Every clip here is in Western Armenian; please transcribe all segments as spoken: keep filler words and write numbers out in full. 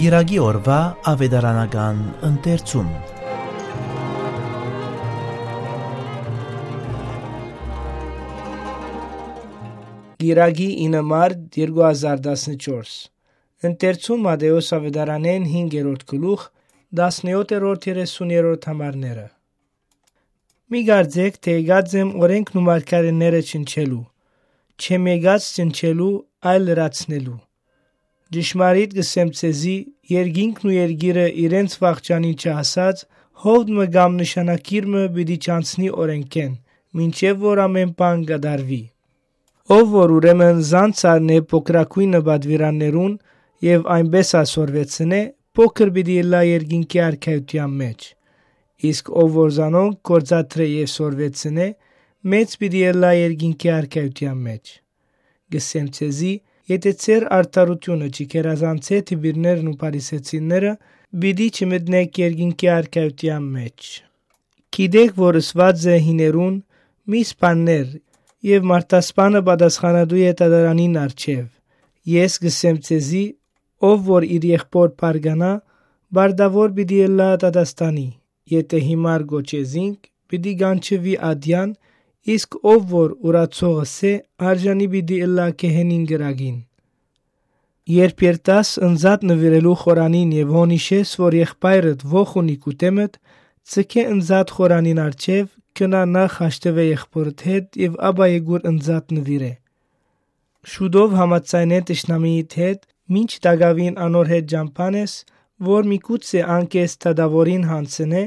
Կիրակի օրուայ աւետարանական ընթերցում։ Կիրակի ինը մարտ երկու հազար տասնչորս։ Ընթերցում Մատթէոս աւետարանէն հինգերորդ գլուխ, տասնեօթերորդ երեսուներորդ համարները։ Մի կարծէք, թէ եկած եմ օրէնքն ու մարգարէները ջնջելու, չեմ եկած ջնջելու, այլ լրացնելու։ Ճշմարիտ կ'ըսեմ ձեզի, երկինքն ու երկիրը իրենց վախճանին չհասած, հովդ մը կամ նշանագիր մը պիտի չանցնի օրէնքէն, մինչեւ որ ամէն բան կատարուի։ Ով որ ուրեմն զանց առնէ փոքրագոյնը պատուիրաններուն եւ այնպէս ալ սորվեցնէ, փոքր պիտի ըլլայ երկինքի արքայութեան մէջ։ Իսկ ով որ զանոնք գործադրէ եւ սորվեցնէ, մեծ պիտի ըլլայ երկինքի արքայութեան մէջ։ Կ'ըսեմ ձեզի, եթէ ձեր արդարութիւնը չի գերազանցէ դիպիրներն ու փարիսեցիները, պիտի չմտնէք երկինքի արքայութեան մէջ։ Գիտէք որ ըսուած է հիներուն. «Մի սպաններ, եւ մարդասպանը պատասխանատու է դատարանին առջեւ»։ Ես կ'ըսեմ ձեզի, ով որ իր եղբօր բարկանայ, պարտաւոր պիտի ըլլայ դատաստանի։ Եթէ հիմար կոչէ զինք, պիտի կանչուի ատեան, իսկ ով որ ուրացողս է, արժանի պիտի ըլլայ գեհենին կրակին։ Երբ երթաս ընծատ նուիրելու խորանին եւ հոն յիշես որ եղբայրդ ոխ ունի քու դէմդ, ձգէ ընծատ խորանին առջեւ, գնա նախ հաշտուէ եղբօրդ հետ եւ ապա եկուր ընծատ նուիրէ։ Շուտով համաձայնէ թշնամիիդ հետ, մինչ տակաւին անոր հետ ճամբան ես, որ միգուցե ան քեզ դատաւորին յանձնէ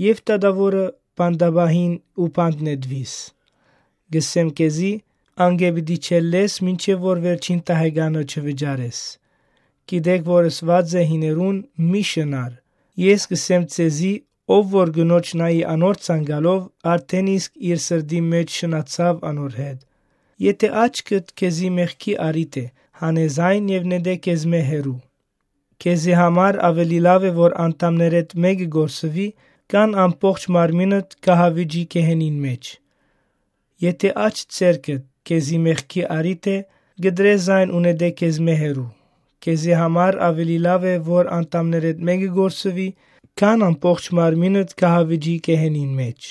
եւ դատաւորը բանտապահին ու բանտ նետուիս։ Կ'ըսեմ քեզի, անկէ պիտի չելլես, մինչեւ որ վերջին տահեկանը չվճարես։ Գիտէք որ ըսուած է հիներուն. «Մի շնար»։ Ես կ'ըսեմ ձեզի, ով որ կնոջ նայի անոր ցանկալով, արդէն իսկ իր սրտին մէջ շնացաւ անոր հետ։ Եթէ աչքդ քեզի մեղքի առիթ է, հանե զայն եւ նետէ քեզմէ հեռու։ Քեզի համար աւելի լաւ է որ անդամներէդ մէկը կորսուի, քան ամբողջ մարմինդ կահավիճի գեհենին մէջ։ Եթէ աջ ձեռքդ քեզի մեղքի առիթ է, կտրէ զայն ու նետէ քեզմէ հեռու։ Քեզի համար աւելի լաւ է որ անդամներէդ մէկը կորսուի, քան ամբողջ մարմինդ կահավիճի գեհենին մէջ։